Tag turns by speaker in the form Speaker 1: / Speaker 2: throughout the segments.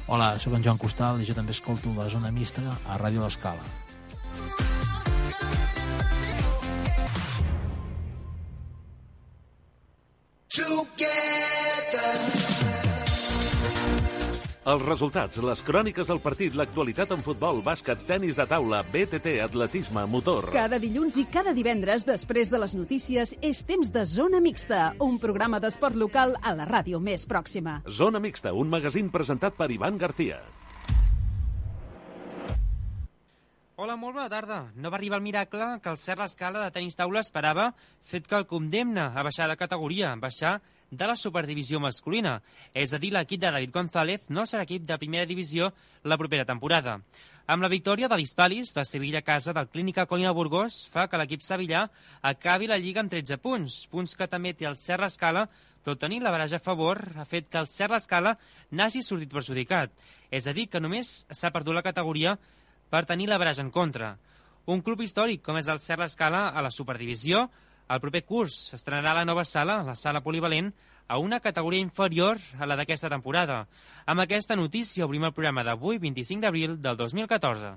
Speaker 1: Hola, soc en Joan Costal i jo també escolto la Zona Mixta a Ràdio L'Escala.
Speaker 2: Els resultats, les cròniques del partit, l'actualitat en futbol, bàsquet, tenis de taula, BTT, atletisme, motor...
Speaker 3: Cada dilluns i cada divendres, després de les notícies, és temps de Zona Mixta, un programa d'esport local a la ràdio més pròxima.
Speaker 2: Zona Mixta, un magazín presentat per Ivan García.
Speaker 4: Hola, molt bona tarda. No va arribar el miracle que el Cert L'Escala de tenis taula esperava, fet que el condemna a baixar de categoria, baixar de la superdivisió masculina. És a dir, l'equip de David González no serà equip de primera divisió la propera temporada. Amb la victòria de l'Hispalis, de Sevilla a casa del Clínica Colina Burgos, fa que l'equip sevillà acabi la Lliga amb 13 punts, punts que també té el Cert L'Escala, però tenir la baraja a favor ha fet que el Cert L'Escala n'hagi sortit perjudicat. És a dir, que només s'ha perdut la categoria per tenir la baraja en contra. Un club històric com és el Cert L'Escala a la superdivisió, el proper curs estrenarà la nova sala, la sala polivalent, a una categoria inferior a la d'aquesta temporada. Amb aquesta notícia obrim el programa d'avui, 25 d'abril del 2014.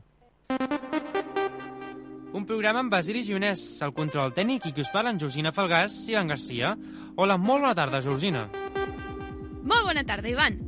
Speaker 4: Un programa amb Basili Gionès, el control tècnic, i qui us parla en Georgina Falgàs i Ivan Garcia. Hola, molt bona tarda, Georgina.
Speaker 5: Molt bona tarda, Ivan.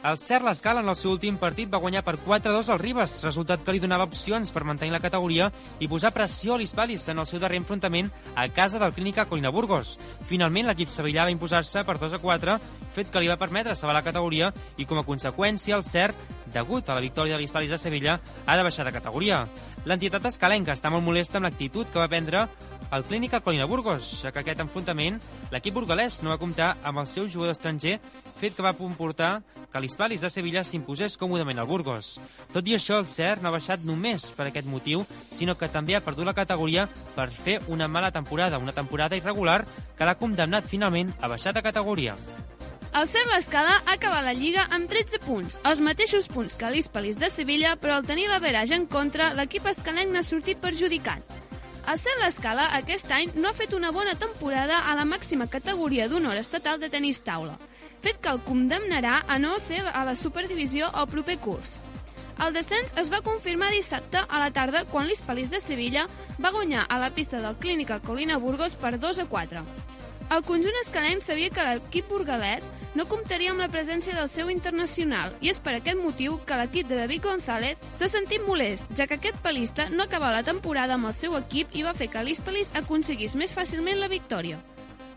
Speaker 4: El Cert L'Escala en el seu últim partit va guanyar per 4-2 al Ribes, resultat que li donava opcions per mantenir la categoria i posar pressió a l'Hispalis en el seu darrer enfrontament a casa del Clínica Colina Burgos. Finalment, l'equip sevillà va imposar-se per 2-4, fet que li va permetre salvar la categoria i, com a conseqüència, el Cert, degut a la victòria de l'Hispalis de Sevilla, ha de baixar de categoria. L'entitat escalenca està molt molesta amb l'actitud que va prendre el Clínica Colina Burgos, ja que aquest enfrontament l'equip burgalès no va comptar amb el seu jugador estranger, fet que va comportar que l'Hispalis de Sevilla s'imposés còmodament al Burgos. Tot i això, el Cert no ha baixat només per aquest motiu, sinó que també ha perdut la categoria per fer una mala temporada, una temporada irregular que l'ha condemnat finalment a baixar de categoria.
Speaker 5: El Cert L'Escala ha acabat la Lliga amb 13 punts, els mateixos punts que l'Hispalis de Sevilla, però al tenir la baraja en contra, l'equip escalenc n'ha sortit perjudicat. El Cert L'Escala aquest any no ha fet una bona temporada a la màxima categoria d'honor estatal de tenis taula, fet que el condemnarà a no ser a la superdivisió el proper curs. El descens es va confirmar dissabte a la tarda quan l'Hispalis de Sevilla va guanyar a la pista del Clínica Colina Burgos per 2-4. El conjunt escalenc sabia que l'equip burgalès no comptaria amb la presència del seu internacional i és per aquest motiu que l'equip de David González s'ha sentit molest, ja que aquest palista no acaba la temporada amb el seu equip i va fer que l'Hispalis aconseguís més fàcilment la victòria.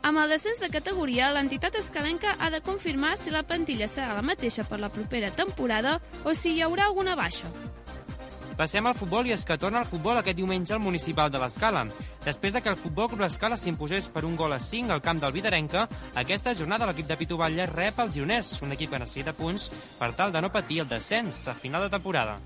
Speaker 5: Amb el descens de categoria, l'entitat escalenca ha de confirmar si la plantilla serà la mateixa per la propera temporada o si hi haurà alguna baixa.
Speaker 4: Passem al futbol i és que torna al futbol aquest diumenge al Municipal de l'Escala. Després de que el Futbol Club L'Escala s'imposés per 1-5 al camp del Vidarenca, aquesta jornada l'equip de Pitu Batlle rep el Gironès, un equip que necessita punts per tal de no patir el descens a final de temporada.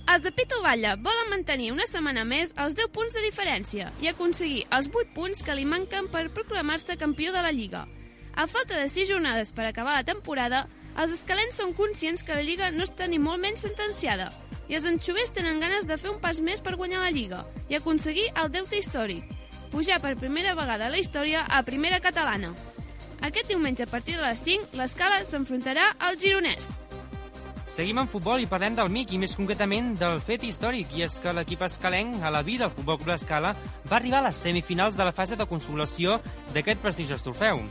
Speaker 5: Els de Pitu Batlle volen mantenir una setmana més els 10 punts de diferència i aconseguir els 8 punts que li manquen per proclamar-se campió de la Lliga. A falta de 6 jornades per acabar la temporada, els escalents són conscients que la Lliga no està ni molt menys sentenciada i els anxovers tenen ganes de fer un pas més per guanyar la Lliga i aconseguir el deute històric, pujar per primera vegada a la història a primera catalana. Aquest diumenge a partir de les 5, l'Escala s'enfrontarà al Gironès.
Speaker 4: Seguim en futbol i parlem del MIC i més concretament del fet històric, i és que l'equip escalenc, a la vida del Futbol Club L'Escala, va arribar a les semifinals de la fase de consolació d'aquest prestigiós trofeu.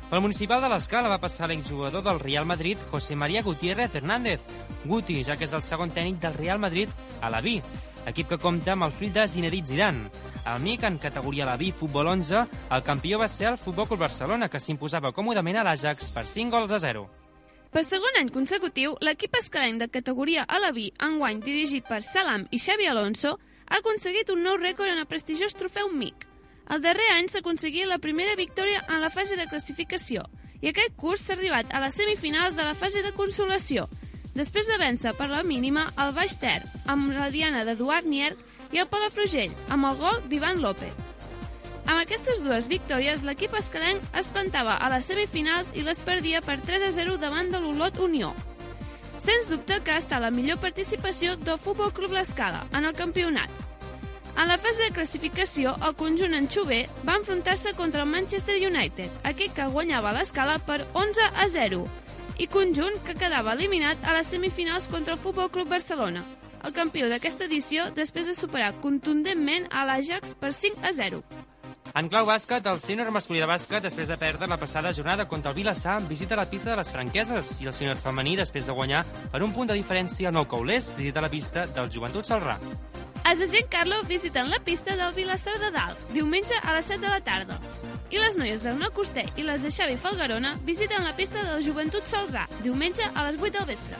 Speaker 4: Pel Municipal de l'Escala va passar l'exjugador del Real Madrid, José María Gutiérrez Hernández, Guti, ja que és el segon tècnic del Real Madrid a la B, equip que compta amb el fill de Zinedine Zidane. Al MIC, en categoria la B, futbol 11, el campió va ser el Futbol Club Barcelona, que s'imposava còmodament a l'Ajax per 5-0.
Speaker 5: Per segon any consecutiu, l'equip escalenc de categoria a la B, enguany dirigit per Salam i Xavi Alonso, ha aconseguit un nou rècord en el prestigiós trofeu MIC. El darrer any s'aconseguia la primera victòria en la fase de classificació i aquest curs s'ha arribat a les semifinals de la fase de consolació, després de vèncer per la mínima el Baix Ter, amb la diana d'Eduard Nierg, i el Palafrugell, amb el gol d'Ivan López. Amb aquestes dues victòries, l'equip escalenc es plantava a les semifinals i les perdia per 3-0 davant de l'Olot Unió. Sens dubte que ha estat la millor participació del Futbol Club L'Escala en el campionat. En la fase de classificació, el conjunt anxover va enfrontar-se contra el Manchester United, aquell que guanyava l'escala per 11-0, i conjunt que quedava eliminat a les semifinals contra el Futbol Club Barcelona, el campió d'aquesta edició després de superar contundentment a l'Ajax per 5-0.
Speaker 4: En clau bàsquet, el sènior masculí de bàsquet, després de perdre la passada jornada contra el Vilassar, visita la pista de les Franqueses, i el sènior femení, després de guanyar per un punt de diferència al Nou Caulers, visita la pista del Joventut Celrà.
Speaker 5: Els de Giancarlo visiten la pista del Vilassar de Dalt, diumenge a les 7 de la tarda. I les noies del Nou Coster i les de Xavi Falgarona visiten la pista del Joventut Celrà, diumenge a les 8 del vespre.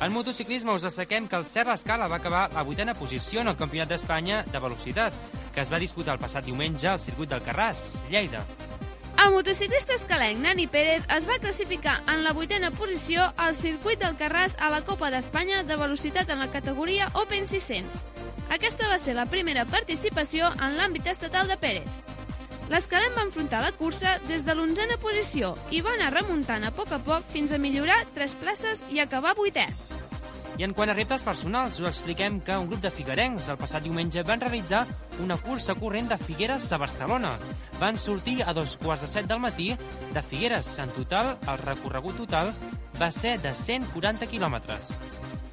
Speaker 4: En motociclisme us assequem que el Serra Escala va acabar a la 8a posició en el Campionat d'Espanya de velocitat, que es va disputar el passat diumenge al circuit del Carràs, Lleida.
Speaker 5: El motociclista escalenc Nani Pérez es va classificar en la 8a posició al circuit del Carràs a la Copa d'Espanya de velocitat en la categoria Open 600. Aquesta va ser la primera participació en l'àmbit estatal de Pérez. L'escalent va enfrontar la cursa des de l'11a posició i va anar remuntant a poc fins a millorar 3 places i acabar 8è.
Speaker 4: I en quant a reptes personals, us expliquem que un grup de figuerencs el passat diumenge van realitzar una cursa corrent de Figueres a Barcelona. Van sortir a 2:45 del matí de Figueres. En total, el recorregut total va ser de 140 quilòmetres.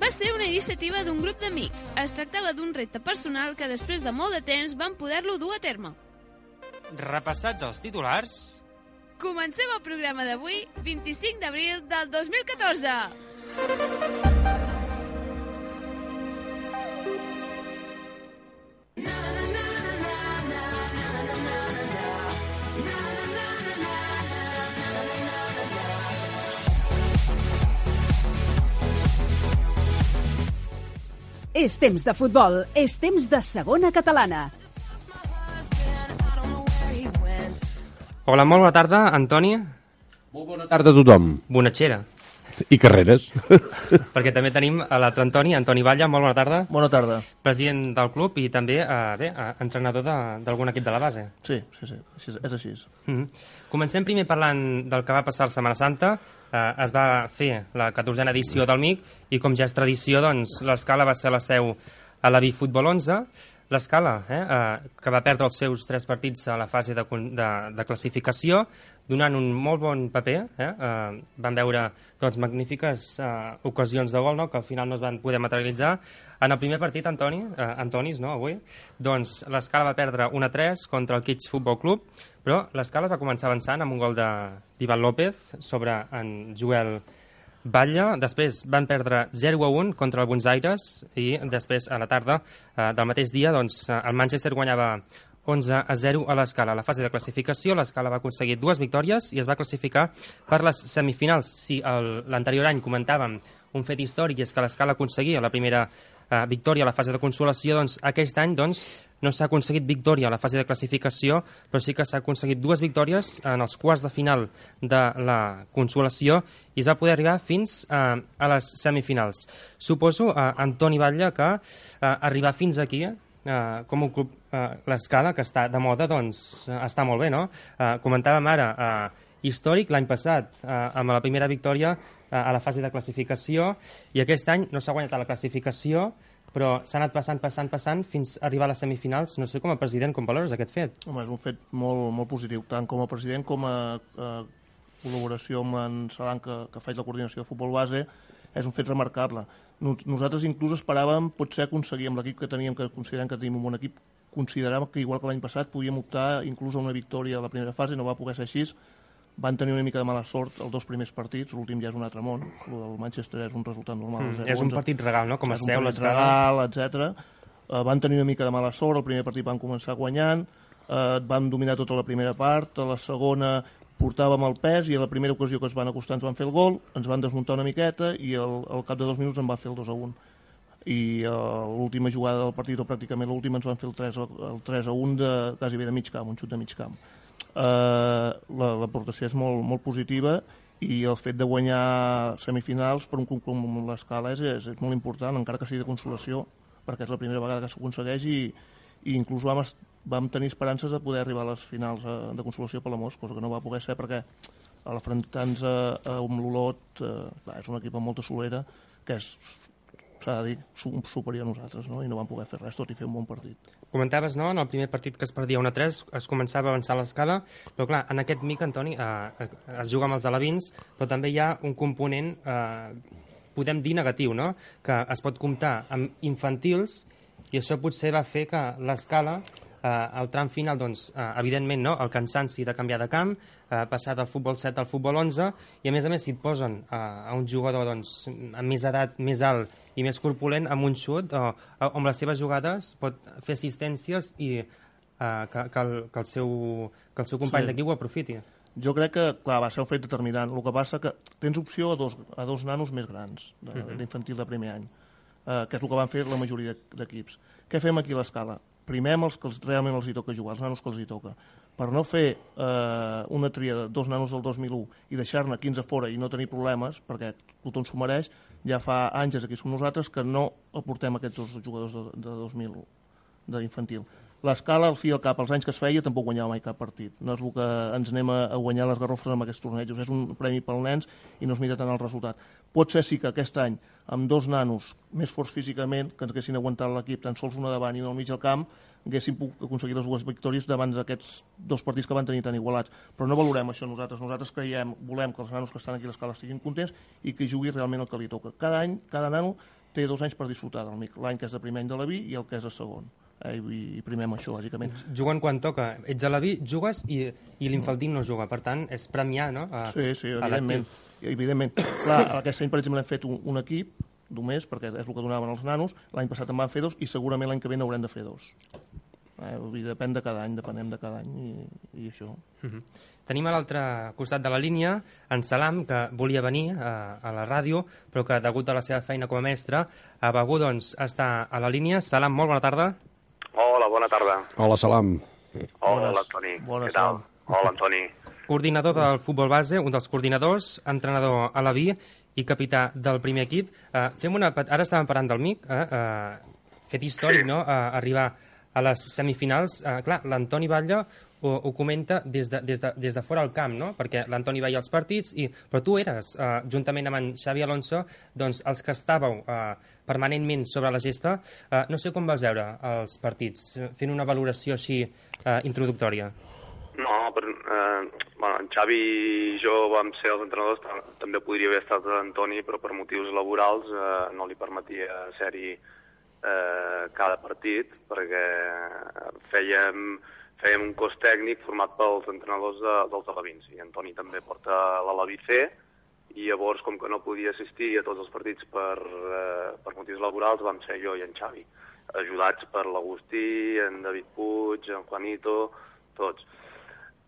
Speaker 5: Va ser una iniciativa d'un grup d'amics. Es tractava d'un repte personal que després de molt de temps van poder-lo dur a terme.
Speaker 4: Repassats els titulars...
Speaker 5: Comencem el programa d'avui, 25 d'abril del 2014.
Speaker 3: És temps de futbol, és temps de segona catalana.
Speaker 4: Hola, molt bona tarda, Antoni.
Speaker 6: Molt bona tarda a tothom.
Speaker 4: Bonatxera.
Speaker 6: I carreres.
Speaker 4: Perquè també tenim a l'altre Antoni Batlle, molt bona tarda.
Speaker 7: Bona tarda.
Speaker 4: President del club i també entrenador d'algun equip de la base.
Speaker 7: Sí, és així.
Speaker 4: Comencem primer parlant del que va passar la Setmana Santa. Es va fer la 14a edició del MIC i com ja és tradició, doncs, l'Escala va ser la seu a la Futbol 11. L'Escala, que va perdre els seus 3 partits a la fase de classificació, donant un molt bon paper. Van veure doncs, magnífiques ocasions de gol, no?, que al final no es van poder materialitzar. En el primer partit, Antonis, no, avui, doncs l'Escala va perdre 1-3 contra el Kitsch Futbol Club, però l'Escala va començar avançant amb un gol d'Ivan López sobre en Joel Batlle. Després van perdre 0-1 contra el Buenos Aires i després a la tarda del mateix dia doncs, el Manchester guanyava 11-0 a l'Escala. A la fase de classificació l'Escala va aconseguir 2 victòries i es va classificar per les semifinals. Si l'anterior any comentàvem un fet històric és que l'Escala aconseguia la primera victòria a la fase de consolació, doncs aquest any no s'ha aconseguit victòria a la fase de classificació, però sí que s'ha aconseguit 2 victòries en els quarts de final de la consolació i es va poder arribar fins a les semifinals. Suposo, Antoni Batlle, que arribar fins aquí, com un club, l'Escala, que està de moda, doncs està molt bé, no? Comentàvem ara, històric l'any passat, amb la primera victòria a la fase de classificació, i aquest any no s'ha guanyat a la classificació, però s'ha anat passant fins a arribar a les semifinals. No sé, com a president, com valores aquest fet?
Speaker 7: Home, és un fet molt positiu, tant com a president com a col·laboració amb en Salan, que faig la coordinació de futbol base, és un fet remarcable. Nosaltres inclús esperàvem potser aconseguir amb l'equip que teníem, que considerem que tenim un bon equip, consideràvem que igual que l'any passat podíem optar inclús a una victòria a la primera fase, no va poder ser així. Van tenir una mica de mala sort els 2 primers partits, l'últim ja és un altre món, el Manchester és un resultat normal.
Speaker 4: És un partit regal, no?, com es deu
Speaker 7: l'Escala. Regal, etc. Van tenir una mica de mala sort, el primer partit van començar guanyant, van dominar tota la primera part, a la segona portàvem el pes i a la primera ocasió que es van acostar ens van fer el gol, ens van desmuntar una miqueta i al cap de 2 minuts en va fer el 2-1. I l'última jugada del partit, o pràcticament l'última, ens van fer el 3-1 de quasi bé de mig camp, un xut de mig camp. L'aportació és molt positiva i el fet de guanyar semifinals per un club com l'Escala és molt important, encara que sigui de consolació, perquè és la primera vegada que s'aconsegueix i inclús vam tenir esperances de poder arribar a les finals de consolació per l'Amos, cosa que no va poder ser perquè a l'afrontar-nos amb l'Olot és un equip amb molta solera que s'ha de dir, superior a nosaltres, no? I no van poder fer res, tot i fer un bon partit.
Speaker 8: Comentaves, no?, en el primer partit que es perdia 1-3, es començava a avançar l'escala, però clar, en aquest mic, Antoni, es juga amb els alevins, però també hi ha un component, podem dir negatiu, no?, que es pot comptar amb infantils, i això potser va fer que l'escala, al tram final, doncs, evidentment, no?, el cansanci de canviar de camp, passar del futbol 7 al futbol 11, i a més, si et posen a un jugador doncs, amb més edat, més alt i més corpulent, amb un xut, o amb les seves jugades pot fer assistències i que el seu company d'equip ho aprofiti.
Speaker 7: Jo crec que, clar, va ser un fet determinant. El que passa que tens opció a dos nanos més grans, d'infantil de primer any, que és el que van fer la majoria d'equips. Què fem aquí a l'escala? Primem els que realment els hi toca jugar, els nanos que els hi toca. Per no fer una tria de 2 nanos del 2001 i deixar-ne 15 fora i no tenir problemes, perquè tothom s'ho mereix, ja fa anys aquí som nosaltres que no aportem aquests 2 jugadors de 2000 d'infantil. L'escala, al fi i al cap, els anys que es feia, tampoc guanyava mai cap partit. No és el que ens anem a guanyar les garrofes amb aquests tornejos. És un premi pels nens i no es mira tant el resultat. Pot ser sí que aquest any, amb 2 nanos més forts físicament, que ens haguessin aguantat l'equip, tan sols una davant i una al mig del camp, haguéssim pogut aconseguir les 2 victòries davant d'aquests 2 partits que van tenir tan igualats. Però no valorem això nosaltres. Nosaltres volem que els nanos que estan aquí a l'escala estiguin contents i que jugui realment el que li toca. Cada any, cada nano té 2 anys per disfrutar del MIC. L'any que és de primer any de la vi i el que és de segon. I primem això, bàsicament.
Speaker 8: Juguen quan toca. Ets a la vi, jugues i l'infantil no juga. Per tant, és premiar, no?
Speaker 7: Sí, evidentment. Clar, aquest any, per exemple, hem fet un equip només, perquè és el que donaven els nanos. L'any passat en van fer 2 i segurament l'any que ve n'haurem de fer 2. Depèn de cada any, depenem de cada any i això.
Speaker 8: Tenim a l'altre costat de la línia en Salam, que volia venir a la ràdio, però que, degut a la seva feina com a mestre, ha begut, doncs, estar a la línia. Salam, molt bona tarda.
Speaker 9: Hola, bona tarda.
Speaker 6: Hola, Salam.
Speaker 9: Hola, Antoni. Què tal? Hola, Antoni.
Speaker 8: Coordinador del futbol base, un dels coordinadors, entrenador a la vi i capità del primer equip. Ara estàvem parlant del MIC, fet històric, no?, arribar a les semifinals. Clar, l'Antoni Batlle ho comenta des de fora del camp, no?, perquè l'Antoni veia els partits, però tu eres, juntament amb en Xavi Alonso, doncs els que estàveu permanentment sobre la gespa. No sé com vas veure els partits, fent una valoració així introductòria.
Speaker 9: No, però en Xavi i jo vam ser els entrenadors, també podria haver estat l'Antoni, però per motius laborals no li permetia ser-hi cada partit, perquè fèiem un cos tècnic format pels entrenadors dels alevins, i Antoni també porta l'Aleví C, i llavors, com que no podia assistir a tots els partits per motius laborals, vam ser jo i en Xavi, ajudats per l'Agustí, en David Puig, en Juanito, tots.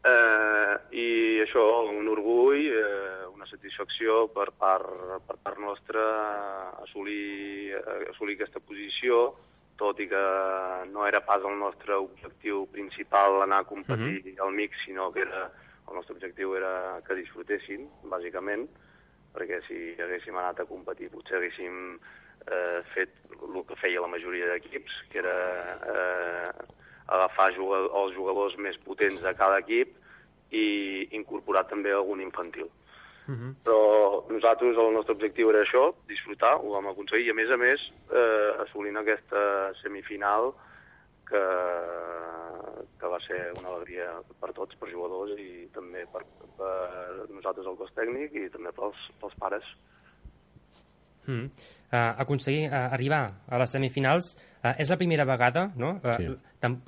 Speaker 9: I això, un orgull, una satisfacció per part nostra assolir aquesta posició, tot i que no era pas el nostre objectiu principal anar a competir al MIC, sinó que el nostre objectiu era que disfrutessin, bàsicament, perquè si haguéssim anat a competir potser haguéssim fet el que feia la majoria d'equips, que era agafar els jugadors més potents de cada equip i incorporar també algun infantil. Però nosaltres, el nostre objectiu era això, disfrutar, ho vam aconseguir, i a més, assolint aquesta semifinal que va ser una alegria per tots, per jugadors i també per nosaltres el cos tècnic i també pels pares.
Speaker 8: Aconseguir arribar a les semifinals és la primera vegada, no? Sí.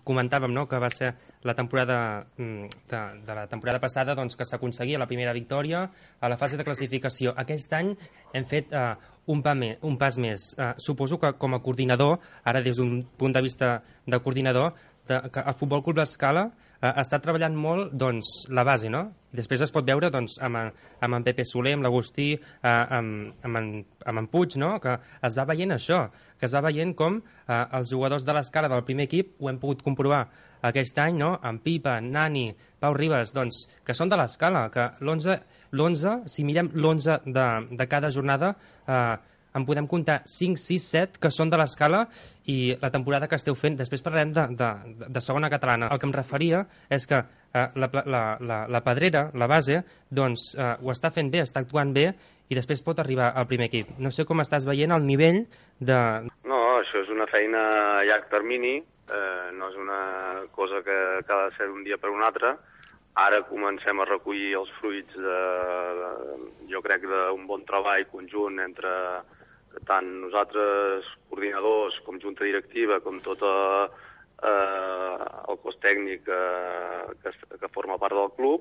Speaker 8: Comentàvem, no?, que va ser la temporada de la temporada passada, doncs, que s'aconseguia la primera victòria a la fase de classificació. Aquest any hem fet un pas més. Suposo que com a coordinador, ara des d'un punt de vista de coordinador, que el Futbol Club L'Escala està treballant molt, doncs, la base, no? Després es pot veure, doncs, amb en Pepe Soler, amb l'Agustí, amb en Puig, no?, que es va veient això, que es va veient com els jugadors de l'Escala del primer equip, ho hem pogut comprovar aquest any, no?, amb Pipa, Nani, Pau Ribas, doncs, que són de l'Escala, que l'11, si mirem l'11 de cada jornada, en podem comptar 5, 6, 7 que són de l'Escala i la temporada que esteu fent. Després parlarem de segona catalana. El que em referia és que la Pedrera, la base, doncs ho està fent bé, està actuant bé i després pot arribar al primer equip. No sé com estàs veient el nivell de...
Speaker 9: No, això és una feina a llarg termini, no és una cosa que ha de ser d'un dia per un altre. Ara comencem a recollir els fruits jo crec, d'un bon treball conjunt entre tant nosaltres, coordinadors, com junta directiva, com tot el cos tècnic que forma part del club,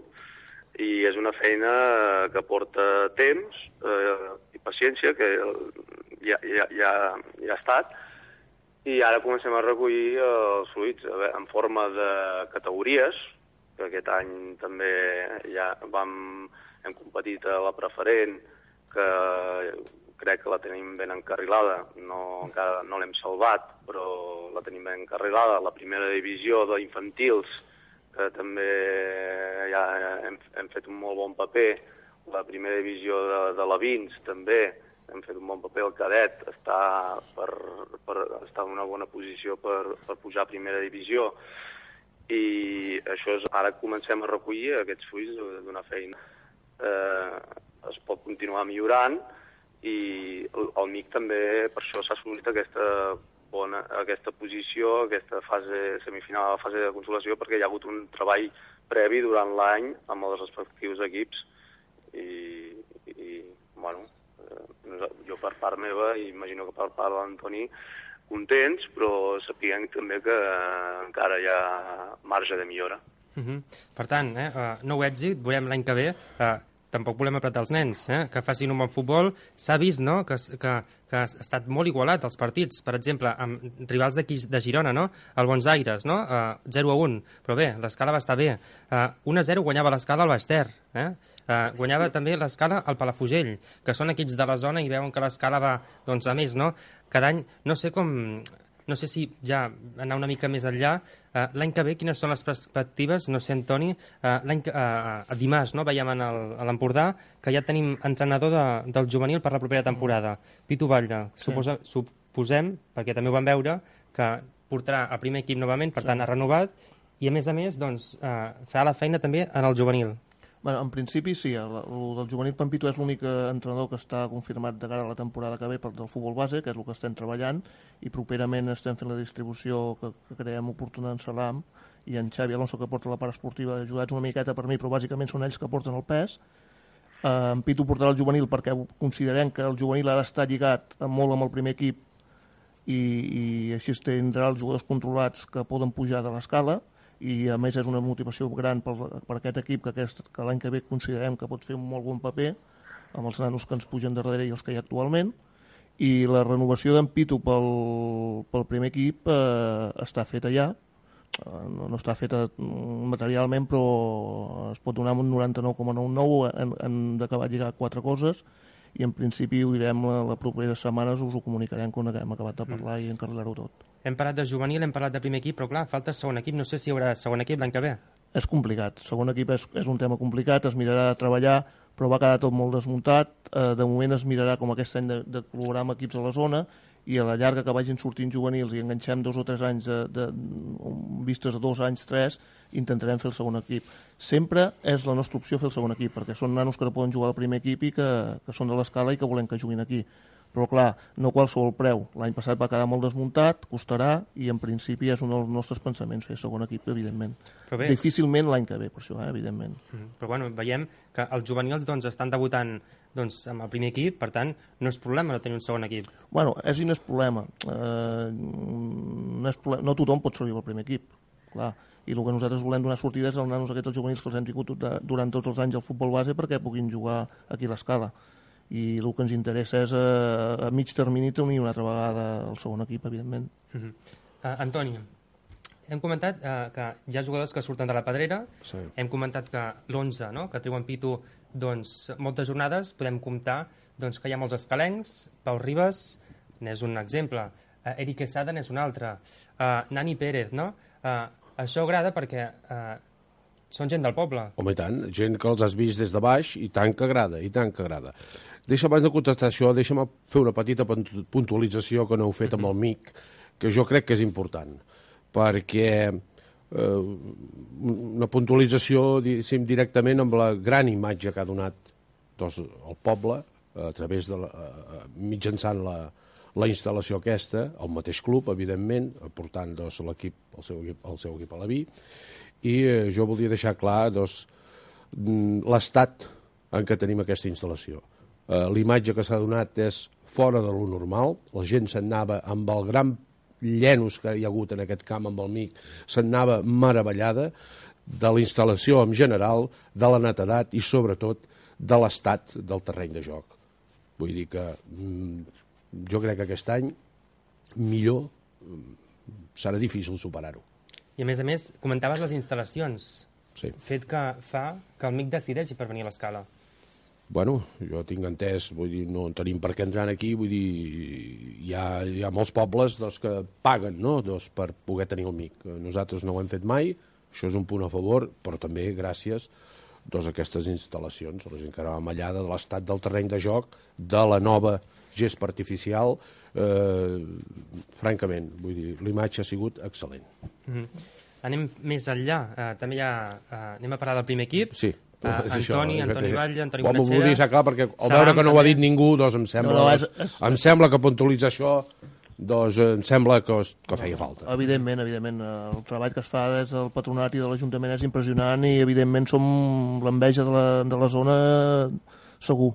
Speaker 9: i és una feina que porta temps i paciència, que ja ha estat, i ara comencem a recollir els fruits en forma de categories, que aquest any també ja hem competit a la preferent, que crec que la tenim ben encarrilada, encara no l'hem salvat, però la tenim ben encarrilada. La primera divisió d'infantils, que també ja hem fet un molt bon paper. La primera divisió de l'Avins també hem fet un bon paper. El cadet està en una bona posició per pujar a primera divisió. I això ara comencem a recollir aquests fruits d'una feina. Es pot continuar millorant, i el MIC també per això s'ha assolit aquesta posició, aquesta fase semifinal, la fase de consolació, perquè hi ha hagut un treball previ durant l'any amb els respectius equips i bueno, jo per part meva, i imagino que per part de l'Antoni, contents, però sapiguem també que encara hi ha marge de millora.
Speaker 8: Per tant, nou èxit, veurem l'any que ve. Tampoc volem apretar els nens, que facin un bon futbol. S'ha vist, no?, que ha estat molt igualat els partits. Per exemple, amb rivals d'aquí de Girona, no?, el Bons Aires, no?, 0-1. Però bé, l'Escala va estar bé. 1-0 guanyava l'Escala al Baix Ter. Guanyava també l'Escala al Palafrugell, que són equips de la zona i veuen que l'Escala va, doncs, a més, no? Cada any, no sé si ja anar una mica més enllà. L'any que ve, quines són les perspectives? No sé, Antoni, dimarts, no?, veiem a l'Empordà que ja tenim entrenador del juvenil per la propera temporada. Pitu Batlle, suposem, perquè també ho vam veure, que portarà a primer equip novament, per tant, ha renovat, i a més, doncs, farà la feina també en el juvenil.
Speaker 7: Bueno, en principi sí, el del juvenil Pampito és l'únic entrenador que està confirmat de cara a la temporada que ve del futbol base, que és el que estem treballant, i properament estem fent la distribució que creiem oportuna en Salam i en Xavi Alonso, que porta la part esportiva, ajudats una miqueta per mi, però bàsicament són ells que porten el pes. En Pitu portarà el juvenil perquè considerem que el juvenil ha d'estar lligat molt amb el primer equip i així tindrà els jugadors controlats que poden pujar de l'escala, i a més és una motivació gran per aquest equip que l'any que ve considerem que pot fer un molt bon paper amb els nanos que ens pugen darrere i els que hi ha actualment, i la renovació d'en Pitu pel primer equip està feta ja, no està feta materialment, però es pot donar un 99,99, hem d'acabar de lligar 4 coses, i en principi ho direm les properes setmanes, us ho comunicarem quan hem acabat de parlar i encarrilar-ho tot.
Speaker 8: Hem parlat de juvenil, hem parlat de primer equip, però clar, falta segon equip. No sé si hi haurà segon equip l'any que ve.
Speaker 7: És complicat. Segon equip és un tema complicat, es mirarà de treballar, però va quedar tot molt desmuntat. De moment es mirarà com aquest any de col·laborar amb equips a la zona, i a la llarga que vagin sortint juvenils i enganxem 2 o 3 anys vistes a 2 anys, 3, intentarem fer el segon equip. Sempre és la nostra opció fer el segon equip, perquè són nanos que no poden jugar al primer equip i que són de l'escala i que volem que juguin aquí. Però clar, no qualsevol preu. L'any passat va quedar molt desmuntat, costarà, i en principi és un dels nostres pensaments fer segon equip, evidentment. Difícilment l'any que ve, per això, evidentment.
Speaker 8: Però bueno, veiem que els juvenils estan debutant amb el primer equip, per tant, no és problema no tenir un segon equip.
Speaker 7: Bueno, és i no és problema. No tothom pot servir al primer equip, clar. I el que nosaltres volem donar sortides als nanos aquests juvenils que els hem tingut durant tots els anys al futbol base perquè puguin jugar aquí a l'Escala. I el que ens interessa és a mig termini tenir una altra vegada el segon equip, evidentment.
Speaker 8: Antoni, hem comentat que hi ha jugadors que surten de la pedrera, hem comentat que l'11, que treu en Pitu, doncs moltes jornades, podem comptar que hi ha molts escalencs. Pau Ribas n'és un exemple, Eric Quesada n'és un altre, Nani Pérez, no? Això agrada perquè són gent del poble.
Speaker 6: Home, i tant, gent que els has vist des de baix, i tant que agrada, i tant que agrada. Abans de contestar això, deixa'm fer una petita puntualització que no heu fet amb el MIC, que jo crec que és important, perquè una puntualització directament amb la gran imatge que ha donat el poble a través de mitjançant la instal·lació aquesta, el mateix club, evidentment, aportant el seu equip a la vi, i jo voldria deixar clar l'estat en què tenim aquesta instal·lació. L'imatge que s'ha donat és fora de lo normal, la gent se'n anava amb el gran llenos que hi ha hagut en aquest camp amb el MIC, se'n anava meravellada de la instal·lació en general, de la netedat i sobretot de l'estat del terreny de joc. Vull dir que jo crec que aquest any millor serà difícil superar-ho.
Speaker 8: I a més, comentaves les instal·lacions.
Speaker 6: Sí.
Speaker 8: Fet que fa que el MIC decideixi per venir a l'Escala.
Speaker 6: Bueno, jo tinc entès, vull dir, no tenim per què entrar aquí, vull dir, hi ha molts pobles que paguen, no?, per poder tenir el MIC. Nosaltres no ho hem fet mai, això és un punt a favor, però també gràcies a aquestes instal·lacions, a la gent que era amallada de l'estat del terreny de joc, de la nova gespa artificial, francament, vull dir, l'imatge ha sigut excel·lent.
Speaker 8: Anem més enllà, també anem a parlar del primer equip.
Speaker 6: Sí.
Speaker 8: Antoni Batlle, Antoni
Speaker 6: Bonachera.
Speaker 8: Bonachera.
Speaker 6: M'ho dir clar, perquè al veure que no ho ha dit ningú, em sembla que puntualitza això, em sembla que feia falta.
Speaker 7: Evidentment, el treball que es fa des del patronat i de l'Ajuntament és impressionant i evidentment som l'enveja de la zona segur.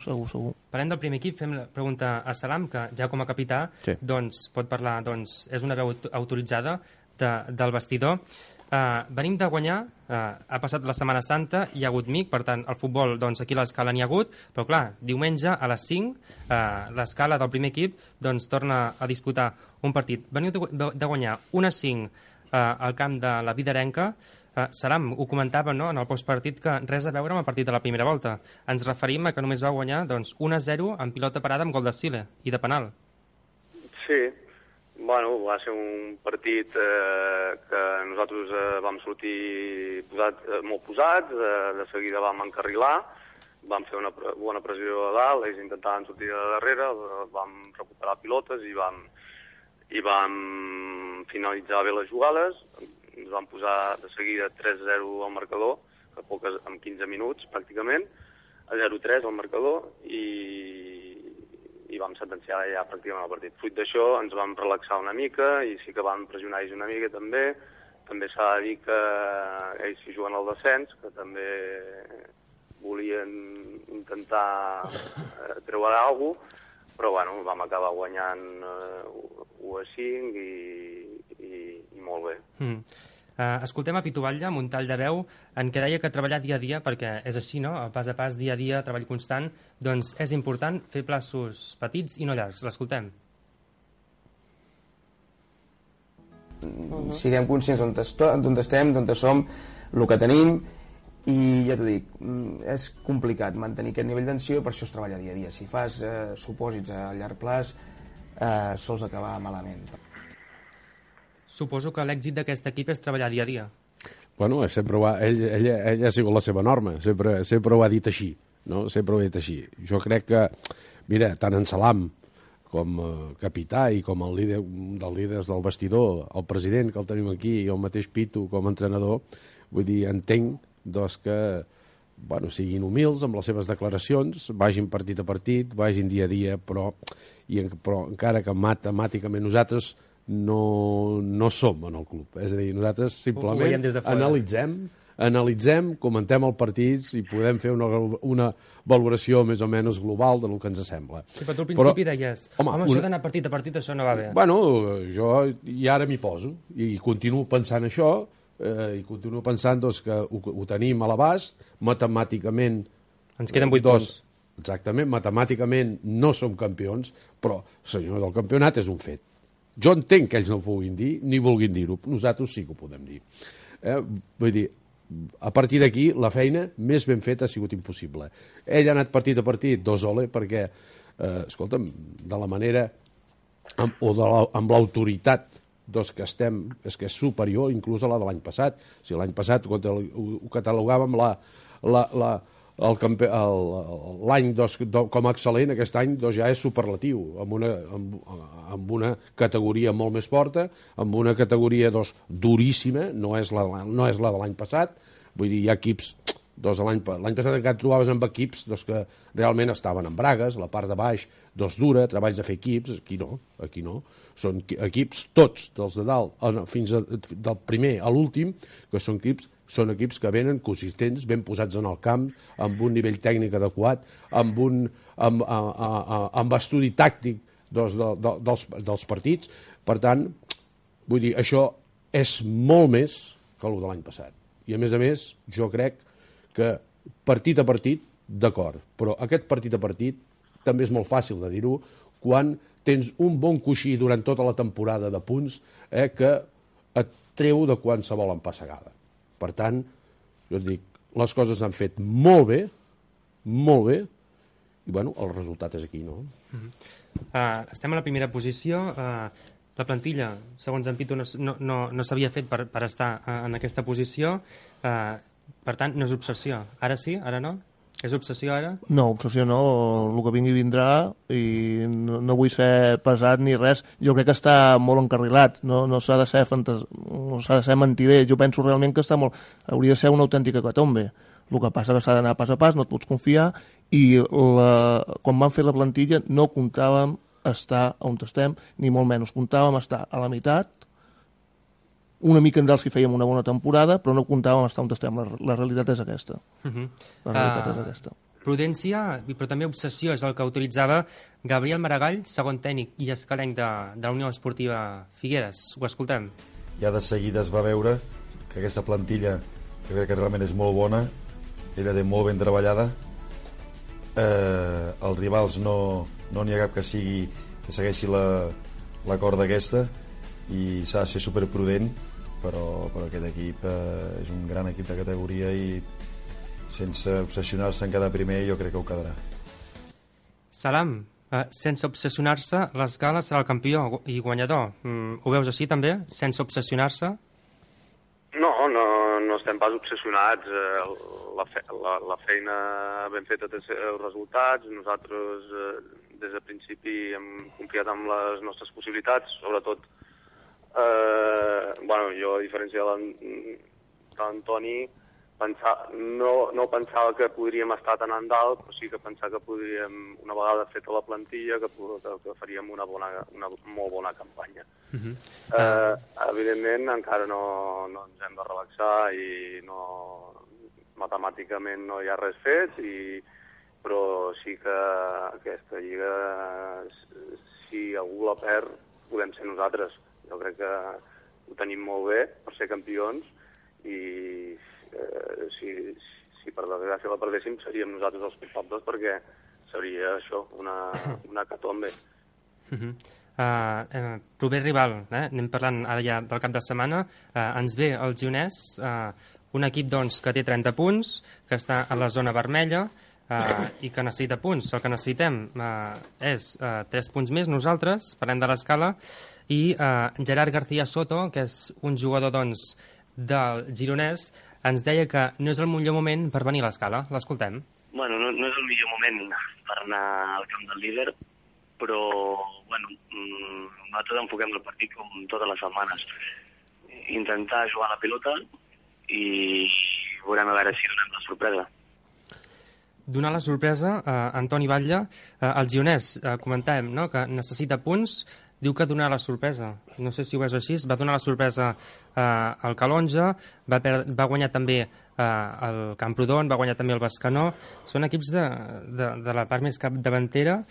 Speaker 7: Segur.
Speaker 8: Parlem del primer equip, fem la pregunta a Salam, que ja com a capità pot parlar, és una veu autoritzada del vestidor. Venim de guanyar, ha passat la Setmana Santa, hi ha hagut MIC, per tant, el futbol aquí a l'Escala n'hi ha hagut, però clar, diumenge a les 5, l'Escala del primer equip torna a disputar un partit. Veniu de guanyar 1-5 al camp de la Vidarenca. Salam, ho comentava en el postpartit, que res a veure amb el partit de la primera volta. Ens referim a que només va guanyar 1-0 amb pilota parada amb gol de Sile i de penal.
Speaker 9: Sí, bueno, va ser un partit que nosaltres vam sortir molt posats, de seguida vam encarrilar, vam fer una bona pressió a dalt, ells intentaven sortir de darrere, vam recuperar pilotes i vam finalitzar bé les jugades. Ens vam posar de seguida 3-0 al marcador, en 15 minuts pràcticament, a 0-3 al marcador, i vam sentenciar ja pràcticament el partit. Fruit d'això ens vam relaxar una mica i sí que vam pressionar ells una mica també. També s'ha de dir que ells s'hi juguen al descens, que també volien intentar treure alguna cosa, però bueno, vam acabar guanyant 1-5 i molt bé.
Speaker 8: Escoltem a Pitu Batlle amb un tall de veu en què deia que treballar dia a dia, perquè és així, no? Pas a pas, dia a dia, treball constant, doncs és important fer plaços petits i no llargs. L'escoltem.
Speaker 10: Siguem conscients d'on estem, d'on som, el que tenim, i ja t'ho dic, és complicat mantenir aquest nivell d'tensió, per això es treballa dia a dia. Si fas supòsits a llarg plaç, sols acabar malament.
Speaker 8: Suposo que l'èxit d'aquest equip és treballar dia a dia.
Speaker 6: Bueno, ell ha sigut la seva norma, sempre ho ha dit així, no? Sempre ho ha dit així. Jo crec que, mira, tant en Salam com capità i com el líder dels líders del vestidor, el president que el tenim aquí i el mateix Pitu com a entrenador, vull dir, entenc que siguin humils amb les seves declaracions, vagin partit a partit, vagin dia a dia, però encara que matemàticament nosaltres no som en el club. És a dir, nosaltres simplement analitzem, comentem els partits i podem fer una valoració més o menys global del que ens sembla.
Speaker 8: Sí, però tu al principi deies, això d'anar partit a partit, això no va bé.
Speaker 6: Bueno, jo i ara m'hi poso i continuo pensant això, i continuo pensant que ho tenim a l'abast, matemàticament...
Speaker 8: Ens queden 8 punts.
Speaker 6: Exactament, matemàticament no som campions, però, senyor, el campionat és un fet. Jo entenc que ells no ho puguin dir, ni vulguin dir-ho. Nosaltres sí que ho podem dir. Vull dir, a partir d'aquí, la feina més ben feta ha sigut impossible. Ell ha anat partit a partit, dos-ole, perquè, escolta'm, de la manera, amb l'autoritat que estem, és que és superior inclús a la de l'any passat. Si l'any passat ho catalogàvem l'any com a excel·lent, aquest any ja és superlatiu, amb una categoria molt més forta, amb una categoria duríssima, no és la de l'any passat. Vull dir, hi ha equips Doncs l'any passat encara et trobaves amb equips que realment estaven en bragues, la part de baix dura, treballs de fer equips, aquí no. Són equips tots, dels de dalt fins del primer a l'últim, que són equips que venen consistents, ben posats en el camp, amb un nivell tècnic adequat, amb estudi tàctic dels partits. Per tant, vull dir, això és molt més que el de l'any passat. I a més, jo crec que partit a partit, d'acord, però aquest partit a partit també és molt fàcil de dir-ho quan tens un bon coixí durant tota la temporada de punts que et treu de qualsevol empassegada. Per tant, jo et dic, les coses s'han fet molt bé, i bueno, el resultat és aquí, no?
Speaker 8: Estem a la primera posició. La plantilla, segons en Pitu, no s'havia fet per estar en aquesta posició. Per tant, no és obsessió. Ara sí? Ara no? És obsessió ara?
Speaker 7: No, obsessió no. El que vingui vindrà i no vull ser pesat ni res. Jo crec que està molt encarrilat. No s'ha de ser mentider. Jo penso realment que hauria de ser una autèntica catombe. El que passa que s'ha d'anar pas a pas, no et pots confiar, i quan van fer la plantilla no comptàvem estar on estem, ni molt menys. Comptàvem estar a la meitat, una mica en dalt si fèiem una bona temporada, però no comptàvem estar on estem. La realitat és aquesta. La realitat és aquesta.
Speaker 8: Prudència, però també obsessió, és el que utilitzava Gabriel Maragall, segon tècnic i escalenc de la Unió Esportiva Figueres. Ho escoltem.
Speaker 11: Ja de seguida es va veure que aquesta plantilla, que crec que realment és molt bona, ella té molt ben treballada, els rivals no n'hi ha cap que segueixi la corda aquesta, i s'ha de ser superprudent, però aquest equip és un gran equip de categoria i sense obsessionar-se en quedar primer jo crec que ho quedarà.
Speaker 8: Salam, sense obsessionar-se, l'Escala serà el campió i guanyador. Ho veus així també? Sense obsessionar-se?
Speaker 9: No estem pas obsessionats. La feina ben feta té els resultats. Nosaltres des de principi hem confiat en les nostres possibilitats, sobretot jo, a diferència de l'Antoni, no pensava que podríem estar tan en dalt, però sí que pensava que podríem, una vegada feta la plantilla, que faríem una molt bona campanya. Evidentment, encara no ens hem de relaxar i matemàticament no hi ha res fet, però sí que aquesta lliga, si algú la perd, podem ser nosaltres. Jo crec que ho tenim molt bé per ser campions i si per desgràcia la perdéssim seríem nosaltres els culpables, perquè seria això, una catombe.
Speaker 8: Proper rival, anem parlant ara ja del cap de setmana, ens ve el Gironès, un equip doncs, que té 30 punts, que està a la zona vermella i que necessita punts. El que necessitem és 3 punts més nosaltres, parlem de l'Escala, i Gerard García Soto, que és un jugador doncs, del Gironès, ens deia que no és el millor moment per venir a l'Escala. L'escoltem.
Speaker 12: Bueno, no és el millor moment per anar al camp del líder, però nosaltres enfoquem el partit com totes les setmanes. Intentar jugar a la pilota i veurem a veure si donem la sorpresa.
Speaker 8: Donar la sorpresa, Antoni Batlle, el Gironès, comentàvem que necessita punts, diu que donarà la sorpresa. No sé si ho veus així. Va donar la sorpresa al Calonja, va guanyar també el Camprodon, va guanyar també el Bescanó. Són equips de la part més capdavantera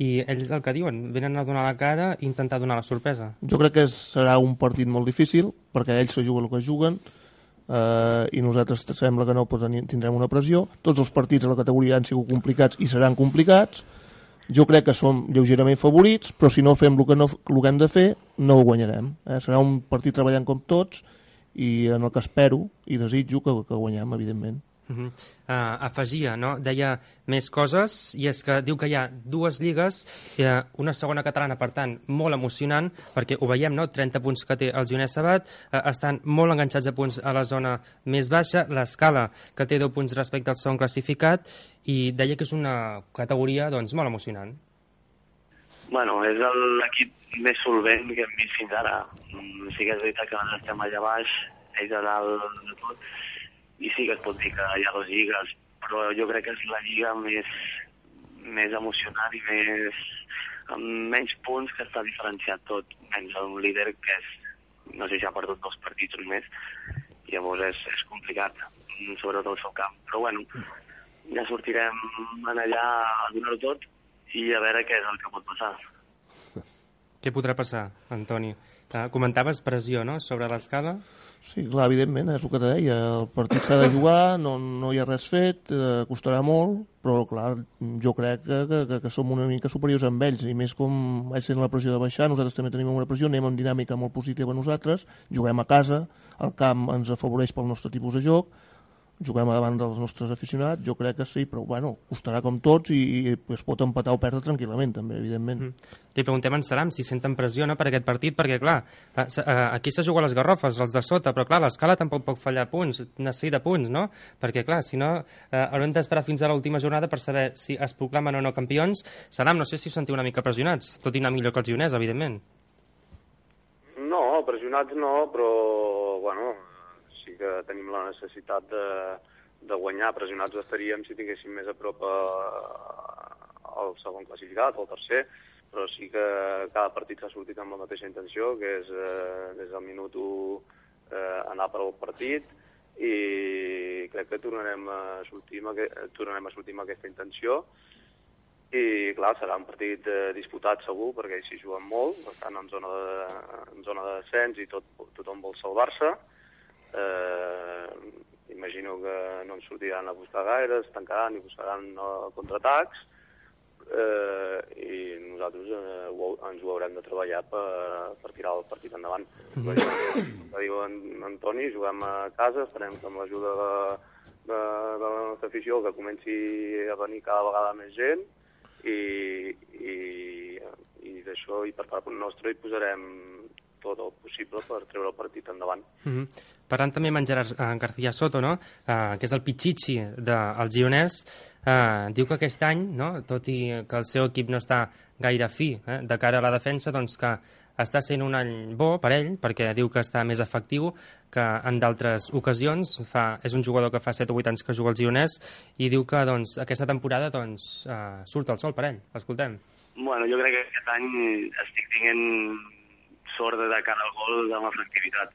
Speaker 8: i ells el que diuen, venen a donar la cara i intentar donar la sorpresa.
Speaker 7: Jo crec que serà un partit molt difícil, perquè ells se juguen el que juguen, i nosaltres sembla que no tindrem una pressió. Tots els partits a la categoria han sigut complicats i seran complicats. Jo crec que som lleugerament favorits, però si no fem el que hem de fer, no ho guanyarem. Serà un partit treballant com tots i en el que espero i desitjo que guanyem, evidentment.
Speaker 8: Afegia, deia més coses, i és que diu que hi ha 2 lligues, una segona catalana, per tant, molt emocionant, perquè ho veiem, 30 punts que té el Gironès Sabat, estan molt enganxats a punts a la zona més baixa, l'Escala, que té 10 punts respecte al segon classificat, i deia que és una categoria molt emocionant.
Speaker 12: Bueno, és l'equip més solvent que hem vist fins ara. Sí que és veritat que nosaltres estem allà baix, ells a dalt de tot, i sí que es pot dir que hi ha 2 lligues, però jo crec que és la lliga més emocionant i amb menys punts, que està diferenciat tot, menys un líder que és, no sé si ha perdut 2 partits només, i llavors és complicat, sobretot al seu camp. Però bueno, ja sortirem allà a donar-ho tot i a veure què és el que pot passar.
Speaker 8: Què podrà passar, Antoni? Comentaves pressió, no?, sobre l'escala?
Speaker 7: Sí, clar, evidentment, és el que te deia. El partit s'ha de jugar, no hi ha res fet, costarà molt, però, clar, jo crec que som una mica superiors amb ells, i més com ells tenen la pressió de baixar, nosaltres també tenim una pressió, anem amb dinàmica molt positiva nosaltres, juguem a casa, el camp ens afavoreix pel nostre tipus de joc, juguem davant dels nostres aficionats, jo crec que sí, però bueno, costarà com tots i es pot empatar o perdre tranquil·lament també, evidentment.
Speaker 8: Li preguntem a en Salam si senten pressió, no, per aquest partit, perquè clar, aquí se juga les garrofes, els de sota, però clar, l'escala tampoc pot fallar punts, necessita punts, no? Perquè clar, si no, haurem d'esperar fins a l'última jornada per saber si es proclamen o no campions. Salam, no sé si us sentiu una mica pressionats, tot i anar millor que els guioners, evidentment.
Speaker 9: No, pressionats no, però bueno, sí que tenim la necessitat de guanyar. Pressionats estaríem si tinguéssim més a prop al segon classificat o al tercer, però sí que cada partit s'ha sortit amb la mateixa intenció, que és des del minut 1 anar per al partit, i crec que tornarem a sortir amb aquesta intenció. I clar, serà un partit disputat segur, perquè ells s'hi juguen molt, estan en zona de descens i tothom vol salvar-se. Imagino que no ens sortiran a buscar gaire, es tancaran i buscaran contraatacs, i nosaltres ens ho haurem de treballar per tirar el partit endavant. Com diu Antoni, juguem a casa, esperem que amb l'ajuda de la nostra afició que comenci a venir cada vegada més gent, i d'això, i per part nostra hi posarem tot el possible per treure el partit endavant.
Speaker 8: Parlant també amb en Gerard García Soto, no? Que és el pitxitxi dels gironers, diu que aquest any, no? Tot i que el seu equip no està gaire fi de cara a la defensa, doncs que està sent un any bo per ell, perquè diu que està més efectiu que en d'altres ocasions. És un jugador que fa 7 o 8 anys que juga als gironers, i diu que doncs, aquesta temporada surt el sol per ell. Escoltem.
Speaker 12: Bueno, jo crec que aquest any estic tinguent sort de cara al gol amb efectivitat.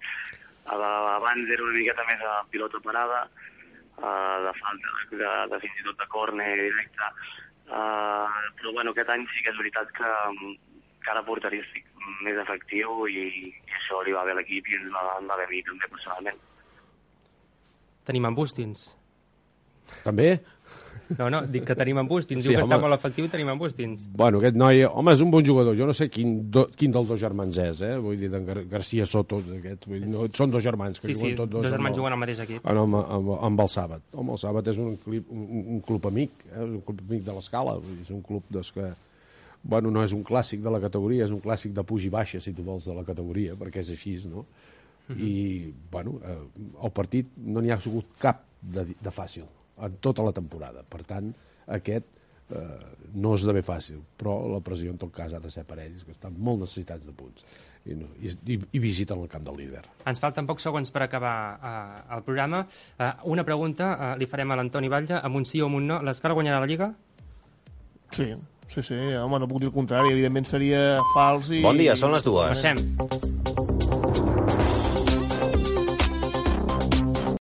Speaker 12: Abans era una miqueta més a pilota parada, de falta, de fins i tot de córner directe, però bueno, aquest any sí que és veritat que cara porteria estic més efectiu, i això li va bé a l'equip i ens va bé a mi també personalment.
Speaker 8: Tenim en Bustins.
Speaker 6: També?
Speaker 8: No, dic que tenim en Bustins. Diu que està molt efectiu i tenim en Bustins.
Speaker 6: Bueno, aquest noi, home, és un bon jugador. Jo no sé quin dels 2 germans és, vull dir, d'en García Soto, són 2 germans que juguen tots
Speaker 8: 2 germans juguen al mateix equip.
Speaker 6: Amb el Sàbat. Home, el Sàbat és un club amic, és un club amic de l'Escala, és un club que, bueno, no és un clàssic de la categoria, és un clàssic de puja i baixa, si tu vols, de la categoria, perquè és així, no? I, bueno, el partit no n'hi ha sigut cap de fàcil en tota la temporada. Per tant, aquest no esdevé fàcil, però la pressió en tot cas ha de ser per ells, que estan molt necessitats de punts i visiten el camp del líder.
Speaker 8: Ens falten pocs segons per acabar el programa. Una pregunta li farem a l'Antoni Batlle, amb un sí o amb un no. L'Escala guanyarà la Lliga?
Speaker 7: Sí, home, no puc dir el contrari, evidentment seria fals i...
Speaker 13: Bon dia, són les 2.
Speaker 8: Passem.